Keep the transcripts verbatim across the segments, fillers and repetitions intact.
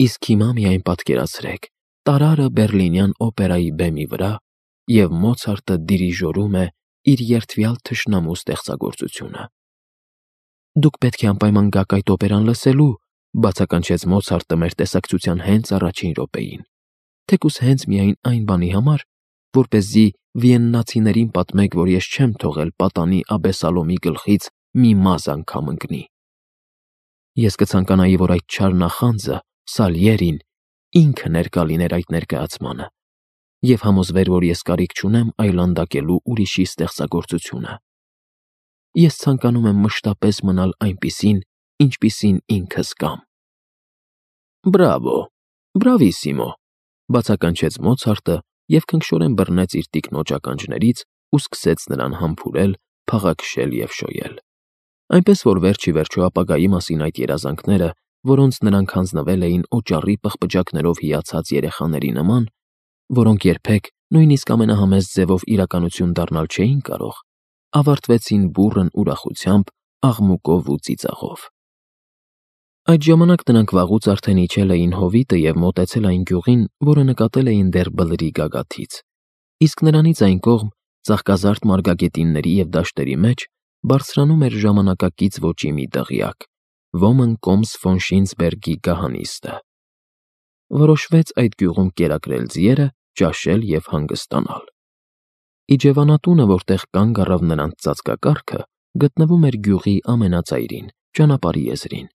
Իսկ հիմա միայն պատկերացրեք, տարարը Բերլինյան օպերայի բեմի վրա, և Մոցարտը դիրիժորում է իր երդվյալ թշնամու ստեղծագործությունը։ «Դուք պետք է անպայման գաք այդ օպերան լսելու», բացականչեց Մոցարտը մեր տեսակցության հենց առաջին րոպեին, թեկուզ հենց միայն այն բանի համար, որպեսզի վիեննացիներին պատմեք, որ ես չեմ թողել պատանի Աբեսալոմի գլխից մի մազ անգամ ընկնի։ Ես կցանկանայի, որ այդ չար նախանձը, Սալիերին, ինքը ներկա լիներ այդ ներկայացմանը և համոզվեր, որ ես կարիք չունեմ այլանդակելու ուրիշի ստեղծագործությունը։ Ես ցանկանում եմ մշտապես մնալ այնպիսին, ինչպիսին ինքս կամ։ «Բրավո, բրավիսիմո», բացականչեց Մոցարտը և քնքշորեն բռնեց իր տիկնոջ ականջներից ու սկսեց նրան համբուրել, փաղաքշել և շոյել։ Այնպես որ վերջ ի վերջո ապագայի մասին այդ երազանքները, որոնց նրանք հանձնվել էին օճառի պղպջակներով հիացած երեխաների նման, որոնք երբեք, նույնիսկ ամենահամեստ ձևով իրականություն դառնալ չէին կարող, ավարտվեցին բուռն ուրախությամբ, աղմուկով ու ծիծաղով։ Այդ ժամանակ նրանք վաղուց արդեն իջել էին հովիտը և մոտեցել այն գյուղին, որը նկատել էին դեռ բլրի գագաթից, իսկ նրանից այն կողմ, ծաղկազարդ մարգագետինների և դաշտերի մեջ, բարձրանում էր ժամանակակից ոճի մի դղյակ՝ Ոմն կոմս ֆոն Շինցբերգի գահանիստը։ Որոշվեց այդ գյուղում կերակրել ձիերը, ճաշել և հանգստանալ։ Իջևանատունը, որտեղ կանգ առավ նրանց ծածկակառքը, գտնվում էր գյուղի ամենածայրին, ճանապարհի եզրին,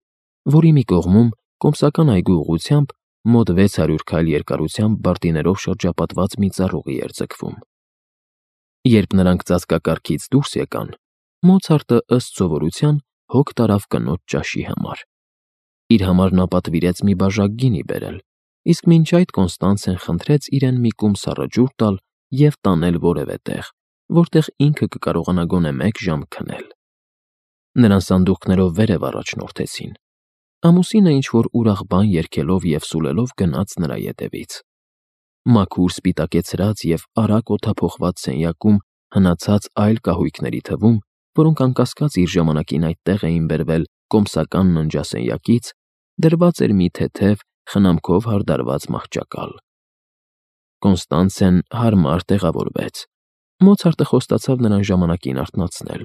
որի մի կողմում, կոմսական այգու ուղղությամբ, մոտ վեց հարյուր քայլ երկարությամբ բարտիներով շրջապատված մի ծառուղի էր ձգվում։ Երբ նրանք ծածկակառքից դուրս եկան, Մոցարտը, ըստ սովորության, հոգ տարավ կնոջ ճաշի համար։ Իր համար նա պատվիրեց մի բաժակ գինի բերել, իսկ մինչ այդ Կոնստանցեն խնդրեց իրեն մի կում սառը ջուր տալ և տանել որևէ տեղ, որտեղ ինքը կկարողանա գոնե մեկ ժամ քնել։ Նրան սանդուղքներով վերև առաջնորդեցին։ Ամուսինը ինչ-որ ուրախ բան երգելով և սուլելով գնաց նրա ետևից։ Մաքուր սպիտակեցրած և արագ օդափոխված սենյակում հնացած այլ կահույքների թվում, որոնք անկասկած իր ժամանակին այդտեղ էին բերվել կոմսական ննջասենյակից, դրված էր մի թեթև, խնամքով հարդարված մահճակալ։ Կոնստանցեն հարմար տեղավորվեց։ Մոցարտը խոստացավ նրան ժամանակին արթնացնել։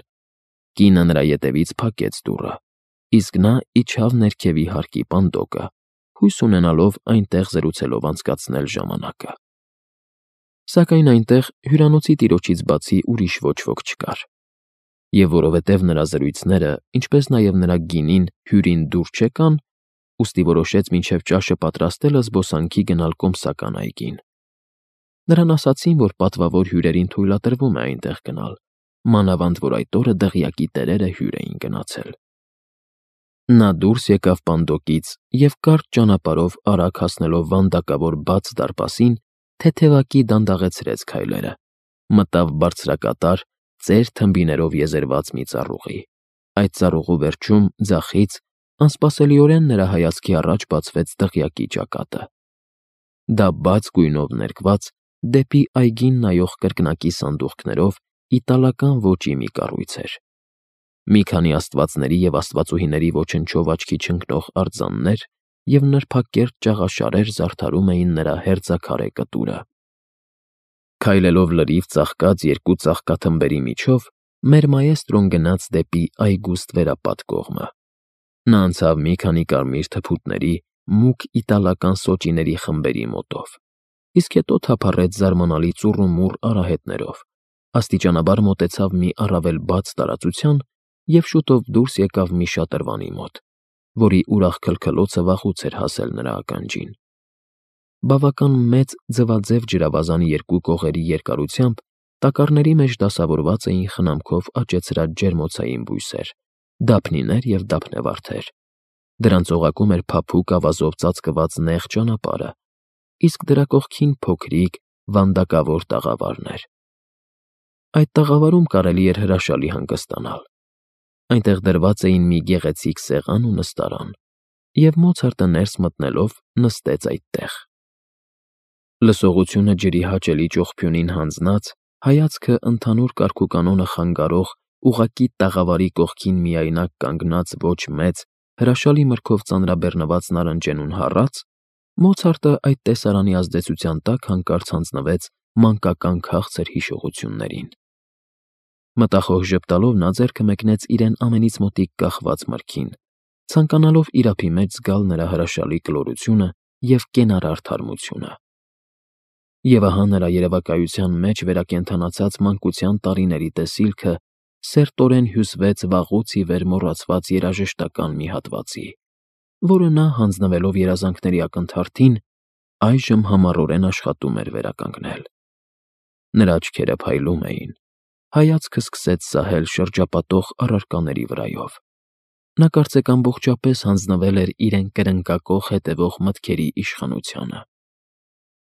Կինը նրա ետևից փակեց դուռը, իսկ նա իջավ ներքևի հարկի պանդոկը, հույս ունենալով այնտեղ զրուցելով անցկացնել ժամանակը։ Սակայն այնտեղ հյուրանոցի տիրոջից բացի ուրիշ ոչ ոք չկար։ Եվ որովհետև նրա զրույցները, ինչպես նաև նրա գինին հյուրին դուր չեկան, ուստի որոշեց մինչև ճաշը պատրաստելը զբոսանքի գնալ կոմսական այգին։ Նրան ասացին, որ պատվավոր հյուրերին թույլատրվում է այնտեղ գնալ, մանավանդ որ այդ օրը դղյակի տերերը հյուր էին գնացել։ Նա դուրս եկավ պանդոկից և կարճ ճանապարհով արագ հասնելով վանդակավոր բաց դարպասին, թեթևակի դանդաղեցրեց քայլերը, մտավ բարձրակատար, ծեր թմբիներով եզերված մի ծառուղի։ Այդ ծառուղու վերջում, ձախից, անսպասելիորեն նրա հայացքի առաջ բացվեց դղյակի ճակատը։ Դա բաց գույնով ներկված, դեպի այգին նայող կրկնակի սանդուղքներով իտալական ոճի մի կառույց էր։ Մի քանի աստվածների և աստվածուհիների ոչնչով աչքի չընկնող արձաններ և նրբակերտ ճաղաշարեր զարդարում էին նրա հերձաքարե կտուրը։ Քայլելով լրիվ ծաղկած երկու ծաղկաթմբերի միջով, մեր մաեստրոն գնաց դեպի այգուստ վերապատ կողմը։ Նա անցավ մի քանի կարմիր թփուտների, մուգ իտալական սոճիների խմբերի մոտով, իսկ հետո թափառեց զարմանալի ծուռումուռ արահետներով, աստիճանաբար մոտեցավ մի առավել բաց տարածության և շուտով դուրս եկավ մի շատրվանի մոտ, որի ուրախ քլքլոցը վաղուց էր հասել նրա ականջին։ Բավական մեծ ձվաձև ջրավազանի երկու կողերի երկարությամբ տակառների մեջ դասավորված էին խնամքով աճեցրած ջերմոցային բույսեր, դափնիներ և դափնեվարդեր։ Դրանց օղակում էր փափուկ ավազով ծածկված նեղ ճանապարհը, իսկ դրա կողքին փոքրիկ, վանդակավոր տաղավարներ։ Այդ տաղավարում կարելի էր հրաշալի հանգստանալ։ Այնտեղ դրված էին մի գեղեցիկ սեղան ու նստարան, և Մոցարտը ներս մտնելով նստեց այդտեղ։ Լսողությունը ջրի հաճելի ճողփյունին հանձնած, հայացքը ընդհանուր կարգուկանոնը խանգարող ուղղակի տաղավարի կողքին միայնակ կանգնած ոչ մեծ, հրաշալի մրգով ծանրաբեռնված նարնջենուն հառաց, Մոցարտը այդ տեսարանի ազդեցության տակ հանկարծ հանձնվեց մանկական քաղցր հիշողություններին։ Մտախոհ ժպտալով նա ձեռքը մեկնեց իրեն ամենից մոտիկ կախված մրգին, ցանկանալով իրափի մեջ զգալ նրա հրաշալի կլորությունը և կենարար թարմությունը։ Եվ ահա նրա երևակայության մեջ վերակենդանացած մանկության տարիների տեսիլքը սերտորեն հյուսվեց վաղուց ի վեր մոռացված երաժշտական մի հատվածի, որը նա, հանձնվելով երազանքների ակնթարթին, այժմ համառորեն աշխատում էր վերականգնել։ Նրա աչքերը փայլում էին, հայացքը սկսեց սահել շրջապատող առարկաների վրայով։ Նա կարծեք ամբողջապես հանձնվել էր իրեն կրնկակող հետևող մտքերի իշխանությանը։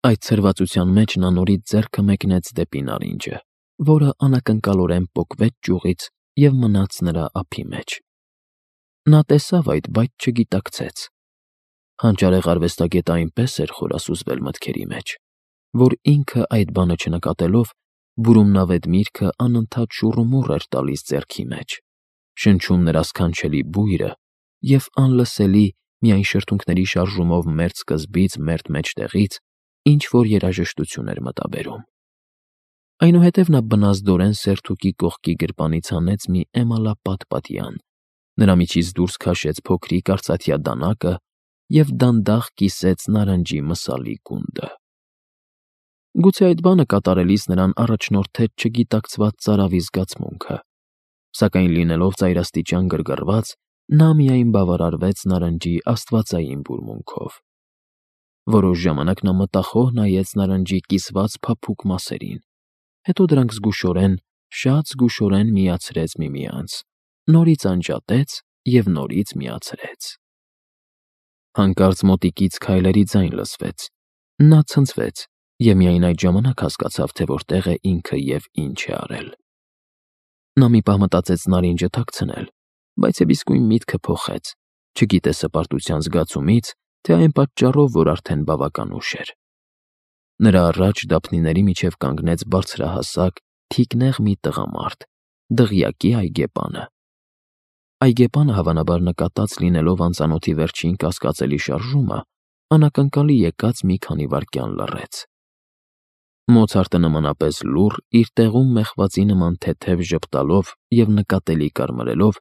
Այդ ցրվածության մեջ նա նորից ձեռքը մեկնեց դեպի նարինջը, որը անակնկալորեն պոկվեց ճյուղից և մնաց նրա ափի մեջ։ Նա տեսավ այդ, բայց չգիտակցեց։ Հանճարեղ արվեստագետը այնպես էր խորասուզվել մտքերի մեջ, որ ինքը այդ բանը չնկատելով, բուրումնավետ միրգը անընդհատ շուռումուռ էր տալիս ձեռքի մեջ, շնչում նրա սքանչելի բույրը և անլսելի, միայն շրթունքների շարժումով մերթ սկզբից մերթ մեջտեղից ինչ-որ երաժշտություն էր մտաբերում։ Այնուհետև նա բնազդորեն սերթուկի կողքի գրպանից հանեց մի էմալապատ պատյան, նրա միջից դուրս քաշեց փոքրիկ արծաթյա դանակը և դանդաղ կիսեց նարնջի մսալի գունդը։ Գուցե այդ բանը կատարելիս նրան առաջնորդեց չգիտակցված ծարավի զգացմունքը, սակայն լինելով ծայրաստիճան գրգռված, նա միայն բավարարվեց նարնջի աստվածային բուրմունքով։ Որոշ ժամանակ նա մտախոհ նայեց նարնջի կիսված փափուկ մասերին, հետո դրանք զգուշորեն, շատ զգուշորեն միացրեց միմյանց, նորից անջատեց և նորից միացրեց։ Հանկարծ մոտիկից քայլերի ձայն լսվեց։ Նա ցնցվեց և միայն այդ ժամանակ հասկացավ, թե որտեղ է ինքը և ինչ է արել։ Նա մի պահ մտածեց նարինջը թաքցնել, բայց և իսկույն միտքը փոխեց, չգիտե սպարտության զգացումից, թե այն պատճառով, որ արդեն բավական ուշ էր։ Նրա առաջ դափնիների միջև կանգնեց բարձրահասակ, թիկնեղ մի տղամարդ, դղյակի այգեպանը։ Այգեպանը, հավանաբար նկատած լինելով անծանոթի վերջին կասկածելի շարժումը, անակնկալի եկած մի քանի վայրկյան լռեց։ Մոցարտը նմանապես լուռ, իր տեղում մեխվածի նման թեթև ժպտալով և նկատելի կարմրելով,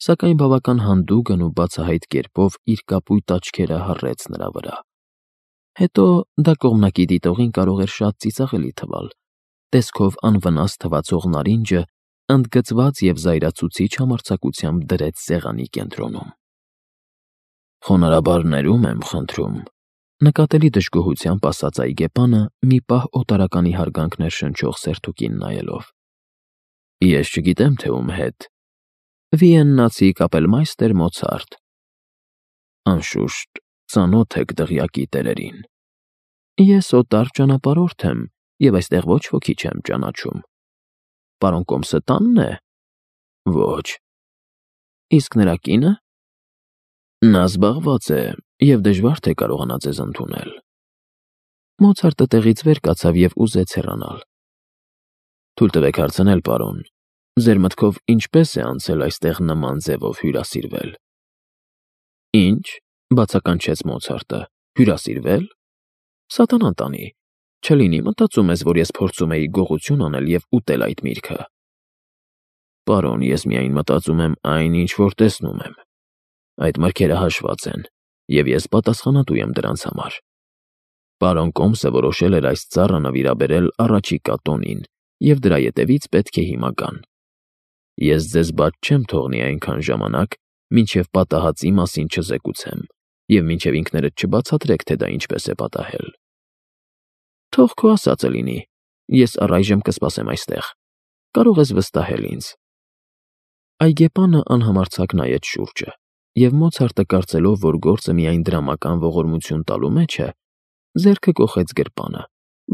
սակայն բավական հանդուգն ու բացահայտ կերպով իր կապույտ աչքերը հառեց նրա վրա։ Հետո դա կողմնակի դիտողին կարող էր շատ ծիծաղելի թվալ, տեսքով անվնաս թվացող նարինջը ընդգծված և զայրացուցիչ համարձակությամբ դրեց սեղանի կենտրոնում։ «Խոնարհաբար ներում եմ, խնդրում», նկատելի դժգոհությամբ ասաց այգեպանը, մի պահ օտարականի հարգանքներ շնչող սերթուկին նայելով։ «Ես չգիտեմ, թե ում հետ։ Վիեննացի կապելմայստեր Մոցարտ։ Անշուշտ, ծանոթ եք դղյակի տերերին։ Ես օտար ճանապարհորդ եմ և այստեղ ոչ ոքի չեմ ճանաչում։ Պարոն Կոմսը տանն է։ Ոչ։ Իսկ նրա կինը։ Նա զբաղված է և դժվար թե կարողանա ձեզ ընդունել»։ Մոցարտը տեղից վեր կացավ և ուզեց հեռանալ։ «Թույլ տվեք հարցնել, պարոն, ձեր մտքով ինչպե՞ս է անցել այստեղ նման ձևով հյուրասիրվել»։ «Ինչ», բացականչեց Մոցարտը, «հյուրասիրվել։ Սատանան տանի, չլինի մտածում ես, որ ես փորձում էի գողություն անել և ուտել այդ միրգը։ Պարոն, ես միայն մտածում եմ այն, ինչ որ տեսնում եմ։ Այդ մրգերը հաշված են, և ես պատասխանատու եմ դրանց համար։ Պարոն Կոմսը որոշել էր այս ծառը նվիրաբերել առաջիկա տոնին և դրա ետևից պետք է հիմա գան։ Ես ձեզ բաց չեմ թողնի այնքան ժամանակ, մինչև պատահածի մասին չզեկուցեմ և մինչև ինքներդ չբացատրեք, թե դա ինչպես է պատահել։ Թող քո ասածը լինի, ես առայժմ կսպասեմ այստեղ, կարող ես վստահել ինձ»։ Այգեպանը անհամարձակ նայեց շուրջը, և Մոցարտը, կարծելով, որ գործը միայն դրամական ողորմություն տալու մեջ է, ձեռքը կոխեց գրպանը,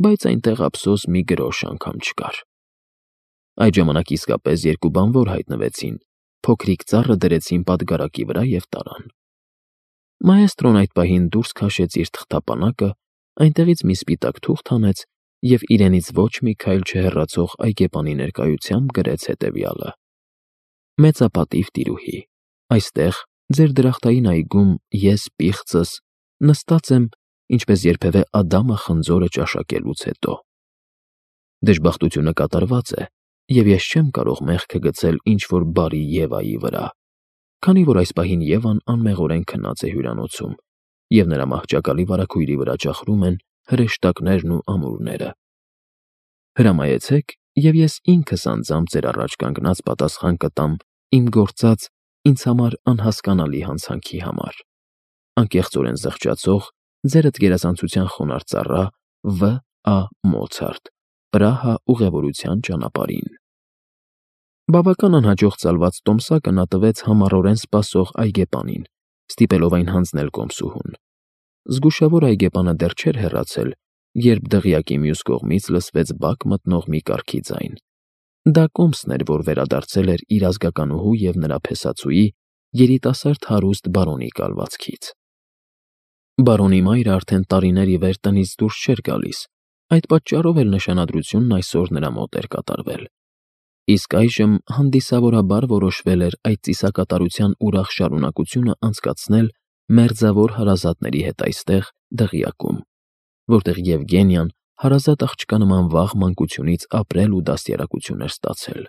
բայց այնտեղ ափսոս մի գրոշ անգամ չկար։ Այդ ժամանակ իսկապես երկու բանվոր հայտնվեցին, փոքրիկ ծառը դրեցին պատգարակի վրա և տարան։ Մաեստրոն այդ պահին դուրս քաշեց իր թղթապանակը, այնտեղից մի սպիտակ թուղթ հանեց և իրենից ոչ մի քայլ չհեռացող այգեպանի ներկայությամբ գրեց հետևյալը. «Մեծապատիվ տիրուհի, այստեղ, ձեր դրախտային այգում, ես պիղծս, նստած եմ ինչպես երբևէ Ադամը խնձորը ճաշակելուց հետո։ Դժբախտությունը կատարված է, և ես չեմ կարող մեղքը գցել ինչ-որ բարի Եվայի վրա, քանի որ այս պահին Եվան անմեղորեն քնած է հյուրանոցում, և նրա մահճակալի վարագույրի վրա ճախրում են հրեշտակներն ու ամուրները։ Հրամայեցեք, և ես ինքս անձամբ ձեր առաջ կանգնած պատասխան կտամ իմ գործած ինձ համար անհասկանալի հանցանքի համար։ Անկեղծորեն զղջացող ձերդ գերազանցության խոնարհ ծառա Վ. Ա. Մոցարտ, Պրահա ուղևորության ճանապարհին։ Բավական անհաջող ծալված տոմսակը նա տվեց համառորեն սպասող այգեպանին, ստիպելով այն հանձնել կոմսուհուն։ Զգուշավոր այգեպանը դեռ չէր հեռացել, երբ դղյակի մյուս կողմից լսվեց բակ մտնող մի կառքի ձայն։ Դա կոմսն էր, որ վերադարձել էր իր ազգականուհու և նրա փեսացուի՝ երիտասարդ հարուստ բարոնի կալվածքից։ Բարոնի մայրը արդեն տարիներ ի վեր տնից դուրս չէր գալիս, այդ պատճառով էլ նշանադրությունն այսօր նրա մոտ էր կատարվել։ Իսկ այժմ հանդիսավորաբար որոշվել էր այդ ծիսակատարության ուրախ շարունակությունը անցկացնել մերձավոր հարազատների հետ այստեղ, դղյակում, որտեղ Եվգենիան հարազատ աղջկա նման վաղ մանկությունից ապրել ու դաստիարակություն էր ստացել։